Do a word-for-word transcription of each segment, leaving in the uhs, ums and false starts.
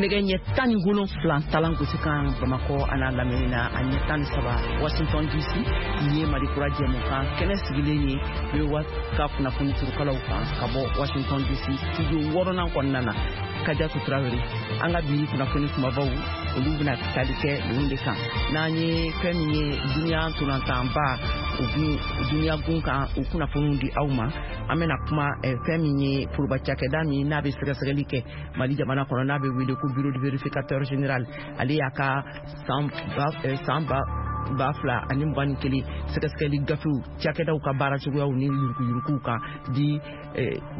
Nɛgɛ ɲɛ tan ni wolonfila talan gosi kan Bamakɔ a n'a lamini na, a ɲɛ tan ni saba Washington D C. Nin ye Mali Kura jɛmukan kɛnɛ sigilen ye V O A ka kunnafoni turukalaw kan ka bɔ Washington D C studio wɔɔrɔnan kɔnɔna na. Kajatu Tarawele, an ka bi kunnafoni kumabaw, olu bɛna tali kɛ ninnu de kan. N'an ye fɛn min ye duniya ntolantanba, o gun duniya gun kan, o kunnafoniw di aw ma. An bɛna kuma fɛn min ye foroba cakɛda min n'a bɛ sɛgɛsɛgɛli kɛ Mali jamana kɔnɔ, n'a bɛ wele ko Bureau de vérificateur général, ale y'a ka san ba san ba ba fila ani mugan ni kelen sɛgɛsɛgɛli gafew cakɛdaw ka baara cogoyaw ni yuruguyuruguw kan di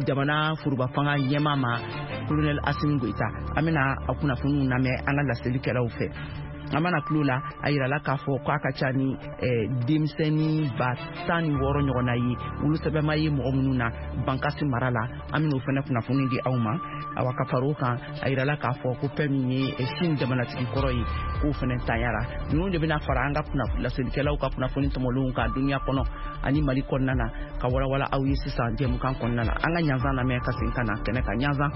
jamana foroba fanga ɲɛmaa ma, Colonel Asimi Goyita. An bɛna a kunnafoniw lamɛn an ka laselikɛlaw fɛ. An mana tulo la, a yirala k'a fɔ k'a ka ca ni denmisɛnnin ba tan ni wɔɔrɔ ɲɔgɔnna ye wolosɛbɛnma ye mɔgɔ minnu na Bankasi mara la. An bɛn'o fana kunnafoni di aw ma. Awa, ka fara o kan, a yirala k'a fɔ ko fɛn min ye Sini jamanatigi kɔrɔ ye, k'o fana tanyara. Ninnu de bɛna fara an ka laselikɛlaw ka kunnafoni tɔmɔlenw kan duniya kɔnɔ ani Mali kɔnɔna na, ka walawala aw ye sisan jɛmukan kɔnɔna na. An ka ɲanzan lamɛn ka segin ka na kɛnɛ kan. Ɲanzan.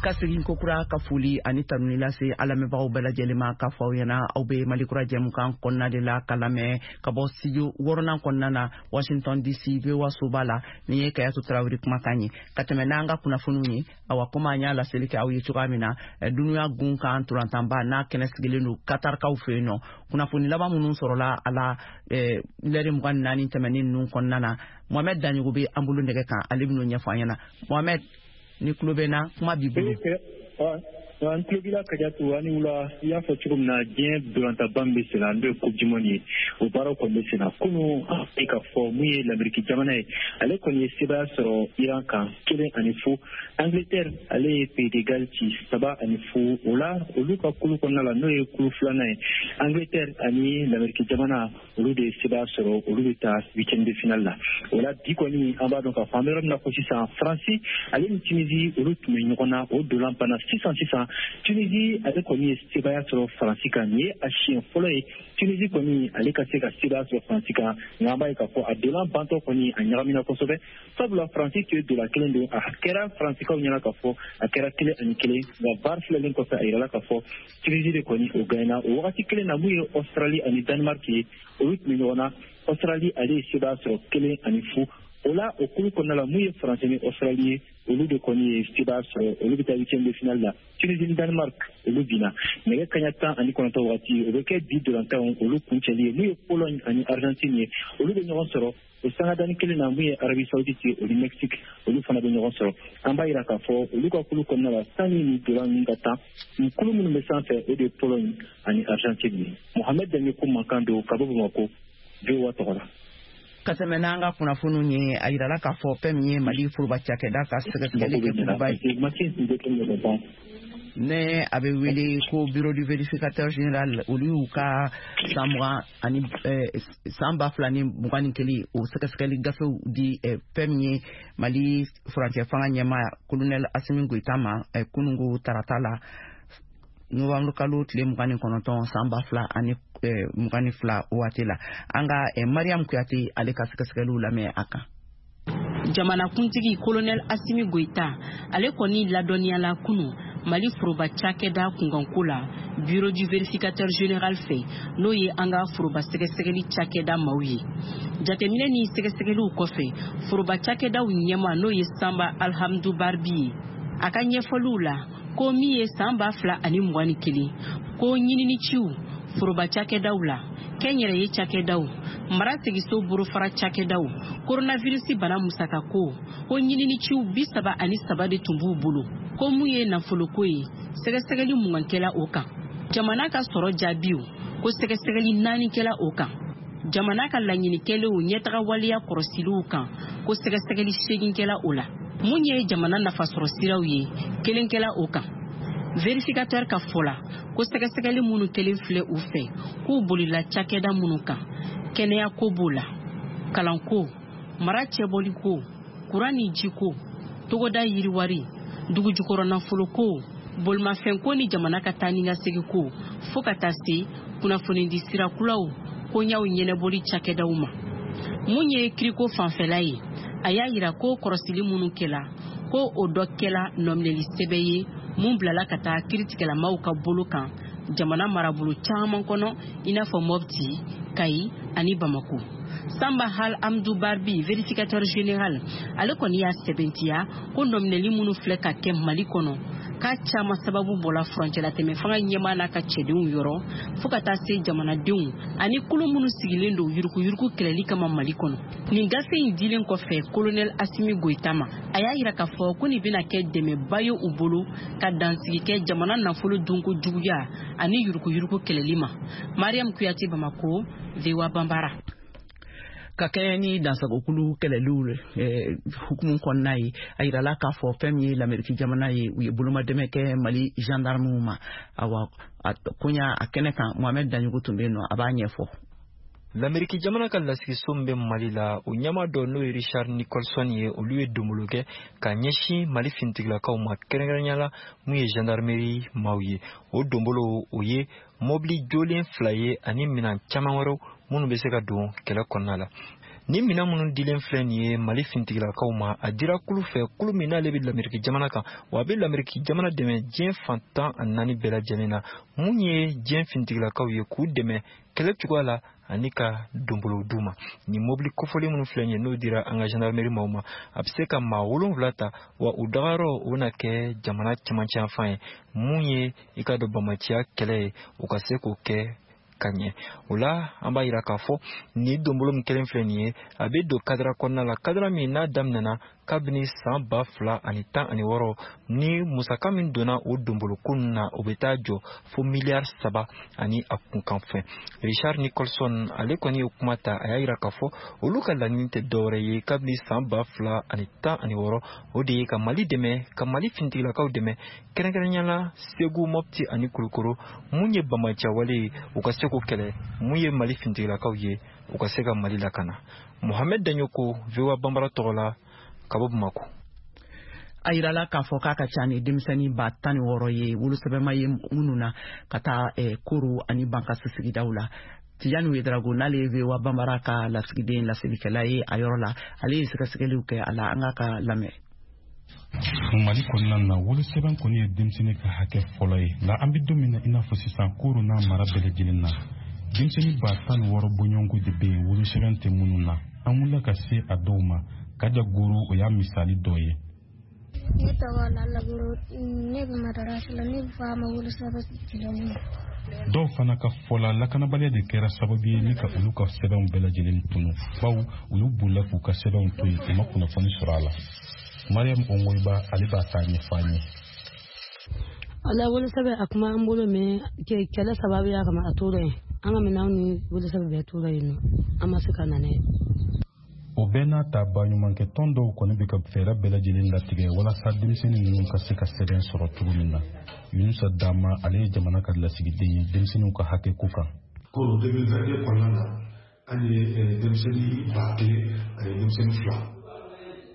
Ka segin kokura ka foli ani tanuni lase an lamɛnbagaw bɛɛ lajɛlen ma, k'a fɔ aw ɲɛna aw bɛ Mali Kura jɛmukan kɔnɔna de la, ka lamɛn ka bɔ studio wɔɔrɔnan kɔnɔna na Washington D C V O A soba la. Nin ye Kayatu Tarawele kumakan ye ka tɛmɛ n'an ka kunnafoniw ye. Awa, komi an y'a laseli kɛ aw ye cogoya min na, duniya gun kan ntolantanba n'a kɛnɛ sigilen don Katarikaw fɛ yen nɔ, kunnafoni laban minnu sɔrɔla a la lɛri mugan ni naani tɛmɛnen ninnu kɔnɔna na, Mohamɛd Daɲogo bɛ an bolo nɛgɛ kan, ale bɛn'o ɲɛfɔ an ɲɛna. Mohamɛd, ni tulo bɛ n na, kuma b'i bolo. An tulo b'i la, Kajatu, ani wula. I y'a fɔ cogo min na, diɲɛ ntolantanba min bɛ sen na, n'o ye Coupe du monde ye, o baaraw kɔni bɛ sen na. Kunun, an ye ka fɔ mun ye, Lamɛriki jamana ye, ale kɔni ye sebaaya sɔrɔ Iran kan kelen ani fu. Angleterre, ale ye Pays de Galles ci saba ani fu. O la, olu ka kulu kɔnɔna la, n'o ye kulu filanan ye, Angleterre ani Lamɛriki jamana, olu de ye sebaaya sɔrɔ, olu bɛ taa huitième de finale la. O la, bi kɔni, an b'a dɔn k'a fɔ an bɛ yɔrɔ min na ko sisan, Faransi ale ni Tunisie, olu tun bɛ ɲɔgɔn na, o dolan banna sisan sisan. Tunisie, ale kɔni ye sebaaya sɔrɔ Faransi kan. Nin ye a siɲɛ fɔlɔ ye Tunisie kɔni ale ka se ka sebaaya sɔrɔ Faransi kan. Nka an b'a ye k'a fɔ a dolan bantɔ kɔni, a ɲagamina kosɛbɛ, sabula Faransi tun ye dolan kelen don. A kɛra Faransikaw ɲɛna k'a fɔ a kɛra kelen ani kelen, nka VAR filɛlen kɔfɛ, a yirala k'a fɔ Tunisie de kɔni o gagnena. O wagati kelen na, mun ye Australie ani Danemark ye, olu tun bɛ ɲɔgɔn na. Australie, ale ye sebaaya sɔrɔ kelen ani fu. O la, o kulu kɔnɔna la, mun ye Faransi ni Australie ye, olu de kɔni ye sebaaya sɔrɔ, olu bɛ taa huitième de finale la. Tunisie ni Danemark, olu binna. Nɛgɛ kaɲa tan ani kɔnɔntɔn waati, o bɛ kɛ bi dolantanw olu kuncɛli ye. Mun ye Pologne ani Argentine ye, olu bɛ ɲɔgɔn sɔrɔ. O sangadani kelen na, mun ye Arabie Saoudite ye, o ni Mexique, olu fana bɛ ɲɔgɔn sɔrɔ. An b'a yira k'a fɔ olu ka kulu kɔnɔna la, sanni ni dolan ninnu ka tan, nin kulu minnu bɛ sanfɛ, o de ye Pologne ani Argentine ye. Mohamed Daɲeko mankan don ka bɔ Bamakɔ, V O A tɔgɔ la. Ka tɛmɛ n'an ka kunnafoniw ye, a yirala k'a fɔ fɛn min ye Mali foroba cakɛda ka sɛgɛsɛgɛli kɛ kuluba ye, ne a bɛ wele ko Bureau du vérificateur général, olu y'u ka san mugan ani san ba fila ni mugan ni kelen o sɛgɛsɛgɛli gafew di fɛn min ye Mali furancɛ fanga ɲɛmaa Colonel Asimi Goyita ma kununko tarata la, novembre kalo tile mugan ni kɔnɔntɔn san ba fila ani mugan ni fila waati la. An ka Mariam Kuyate, ale ka sɛgɛsɛgɛliw lamɛn a kan. Jamanakuntigi Kolonɛl Asimi Goyita, ale kɔni ladɔnniyala kunu Mali foroba cakɛda kunkanko la Bureau du vérificateur général fɛ, n'o ye an ka foroba sɛgɛsɛgɛli cakɛda maaw ye. Jateminɛ ni sɛgɛsɛgɛliw kɔfɛ, foroba cakɛdaw ɲɛma, n'o ye Sanba Alhamdu Barbi ye, a ka ɲɛfɔliw la ko min ye san ba fila ani mugan ni kelen ko ɲininiciw foroba cakɛdaw la, kɛnyɛrɛye cakɛdaw, mara segiso bolofara cakɛdaw, koronavirisi bana musakako, ko ɲininiciw bi saba ani saba de tun b'u bolo. Ko mun ye nafoloko ye, sɛgɛsɛgɛli mugan kɛla o kan. Jamana ka sɔrɔ jaabiw, ko sɛgɛsɛgɛli naani kɛla o kan. Jamana ka laɲini kɛlenw ɲɛtaga waleya kɔrɔsiliw kan, ko sɛgɛsɛgɛli seegin kɛla o la. Mun ye jamana nafasɔrɔ siraw ye, kelen kɛla o kan. Vérificateur ka fɔ la ko sɛgɛsɛgɛli minnu kelen filɛ u fɛ, k'u bolila cakɛda minnu kan, kɛnɛyako b'o la, kalanko, mara cɛbɔliko, kuran ni jiko, togoda yiriwari, dugujukɔrɔ nafoloko, bolimafɛnko ni jamana ka taa ni ka segiko, fo ka taa se kunnafonidi sira kuraw. koɲaw ɲɛnɛbɔli cakɛdaw ma. Mun ye kiriko fanfɛla ye, a y'a yira ko kɔrɔsili minnu kɛla, ko o dɔ kɛla nɔminɛli sɛbɛn ye mun bilala ka taa kiritigɛlamaw ka bolo kan jamana marabolo caman kɔnɔ, i n'a fɔ Mopti, Kayi ani Bamako. Samba Hal Amdou Barbi, vérificateur général, ale kɔni y'a sɛbɛntiya ko nɔminɛli minnu filɛ ka kɛ Mali kɔnɔ, k'a caman sababu bɔla furancɛlatɛmɛ fanga ɲɛmaa n'a ka cɛdenw yɔrɔ, fo ka taa se jamanadenw ani kulu minnu sigilen don yuruguyurugu kɛlɛli kama Mali kɔnɔ. Nin gafe in dilen kɔfɛ colonel Assimi Goïta ma, a y'a yira k'a fɔ ko nin bɛna kɛ dɛmɛba ye u bolo ka dansigi kɛ jamana nafolo dunko juguya ani yuruguyurugu kɛlɛli ma. Mariam Kuyate, Bamako, V O A Bambara. Ka kɛɲɛ ni dansagokulu kɛlɛliw eh, hukumu kɔnɔna ye, a yirala k'a fɔ fɛn min ye Lameriki jamana ye, u ye bolomadɛmɛ kɛ Mali gendarmew ma. Awa, a koɲa a kɛnɛ kan, Mohamed Daɲogo tun bɛ yen nɔ, a b'a ɲɛfɔ. Lameriki jamana ka lasigiso min bɛ Mali la, o ɲɛmaa dɔ n'o ye Richard Nicholson ye, olu ye donbolo kɛ ka ɲɛsin Mali finitigilakaw ma, kɛrɛnkɛrɛnnenya la mun ye gendarmerie maaw ye. O donbolo o ye mobili jolen fila ye ani minɛn caman wɛrɛw minnu bɛ se ka don kɛlɛ kɔnɔna la. Ni minɛn minnu dilen filɛ nin ye Mali finitigilakaw ma, a dira kulu fɛ, kulu min n'ale bɛ Lameriki jamana kan, wa a bɛ Lameriki jamana dɛmɛ diɲɛ fan tan ani naani bɛɛ lajɛlen na, mun ye diɲɛ finitigilakaw ye k'u dɛmɛ kɛlɛ cogoya la ani ka donbolo d'u ma. Nin mobili kofɔlen minnu filɛ nin ye, n'o dira an ka gendarmerie maaw ma, a bɛ se ka maa wolonwula ta, wa u dagayɔrɔ o bɛna kɛ jamana cɛmancɛ yanfan ye, mun ye i ka dɔn bamaciya kɛlɛ ye, u ka se k'o kɛ ka ɲɛ. O la an b'a yira k'a fɔ nin donbolo min kelen filɛ nin ye, a bɛ don kadara kɔnɔna la, kadara min n'a daminɛna kabini san ba fila ani tan ani wɔɔrɔ, ni musaka min donna o donboloko ninnu na, o bɛ taa jɔ fo miliyari saba ani a kunkanfɛn. Richard Nicholson ale kɔni ye kuma ta, a y'a yira k'a fɔ olu ka laɲini tɛ dɔwɛrɛ ye kabini san ba fila ani tan ani wɔɔrɔ, o de ye ka Mali dɛmɛ, ka Mali finitigilakaw dɛmɛ, kɛrɛnkɛrɛnnenya la Segu, Mopti ani Kulukoro, mun ye bamacɛwale ye u ka se k'o kɛlɛ, mun ye Mali finitigilakaw ye u ka se ka Mali lakana. Mohamed Daɲoko, V O A Bambara tɔgɔ la, ka bɔ Bamako. A yirala k'a fɔ k'a ka ca ni denmisɛnnin ba tan ni wɔɔrɔ ye wolosɛbɛnma ye minnu na ka taa eh, Koro ani Bankasi sigidaw la. Tijani Ouedraogo, n'ale ye V O A Bambara ka lasigiden laselikɛla ye a yɔrɔ la, ale ye sɛgɛsɛgɛliw kɛ a la, an k'a ka lamɛn. Mali kɔnɔna na, wolosɛbɛn kɔni ye denmisɛnnin ka hakɛ fɔlɔ ye, nka an bɛ don min na i n'a fɔ sisan, Koro n'a mara bɛɛ lajɛlen na, denmisɛnnin ba tan ni wɔɔrɔ bɔɲɔgɔnko de bɛ yen wolosɛbɛn tɛ minnu na. An wulila ka se a dɔw ma. Kaja Goro, o y'a misali dɔ ye. Ne tɔgɔ Lalagoro, ne bɛ madarasa la, ne fa ma wolosɛbɛn dilan. Dɔw fana ka fɔ la, lakanabaliya de kɛra sababu ye ni ka olu ka sɛbɛnw bɛɛ lajɛlen tunu, bawo olu bolila k'u ka sɛbɛnw to yen, u ma kunnafoni sɔrɔ a la. Mariam Ongoiba, ale b'a ta ɲɛfɔ an ye. Ala wolosɛbɛn a kuma an bolo, mɛ kɛlɛ sababu y'a kama a tora yen, an ka minɛnw ni wolosɛbɛn bɛɛ tora yen nɔ, an ma se ka na n'a ye. O bɛɛ n'a ta, baɲumankɛ tɔn dɔw kɔni bɛ ka fɛɛrɛ bɛɛ lajɛlen latigɛ walasa denmisɛnnin ninnu ka se ka sɛbɛn sɔrɔ cogo min na. Yunusa Dama, ale ye jamana ka lasigiden ye denmisɛnninw ka hakɛ ko kan. Koro deux mille vingt-deux kɔnɔna na, an ye denmisɛnnin ba kelen ani denmisɛnnin fila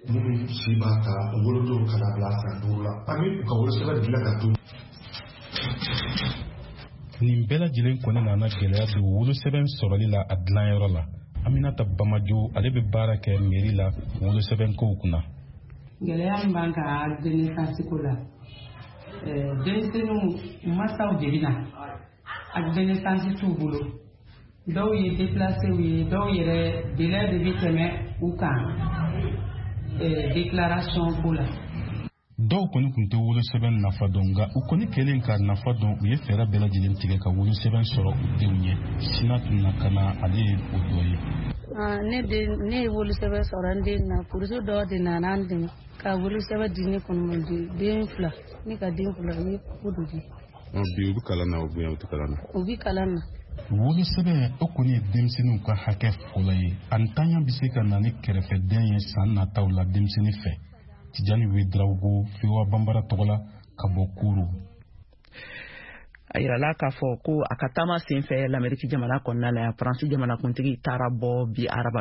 minnu si b'a ta u wolodon ka na bila san duuru la, an bɛ u ka wolosɛbɛn dilan ka d'u. Nin bɛɛ lajɛlen kɔni nana gɛlɛya don wolosɛbɛn sɔrɔli la a dilanyɔrɔ la. Aminata Bamajo, ale bɛ baara kɛ mairie la wolosɛbɛnkow kunna. Gɛlɛya min b'an kan denaissance ko la, denmisɛnninw masaw de bɛ na, acte de naissance t'u bolo, dɔw ye déplacés ye, dɔw yɛrɛ délai de bɛ tɛmɛ u kan déclaration ko la. Dɔw kɔni tun tɛ wolosɛbɛn nafa dɔn, nka u kɔni kɛlen k'a nafa dɔn, u ye fɛɛrɛ bɛɛ lajɛlen tigɛ ka wolosɛbɛn sɔrɔ u denw ye. Sina tun na ka na, ale ye o dɔ ye. Ne den, ne ye wolosɛbɛn sɔrɔ n den na, kurusu dɔ de nana an dɛmɛ ka wolosɛbɛn di ne kɔni ma, den fila, ne ka den fila u ye ko dɔ di. Bi u bɛ kalan na, u bɛ u tɛ kalan na. U bɛ kalan na. Wolosɛbɛn o kɔni ye denmisɛnninw ka hakɛ fɔlɔ ye. A ntanya bɛ se ka na ni kɛrɛfɛdɛn ye san nataw la denmisɛnnin fɛ. Tijani Ouedraogo, V O A Bambara tɔgɔ la, ka bɔ Koro. A yirala k'a fɔ ko a ka taama senfɛ Lameriki jamana kɔnɔna la yan, Faransi jamanakuntigi taara bɔ bi araba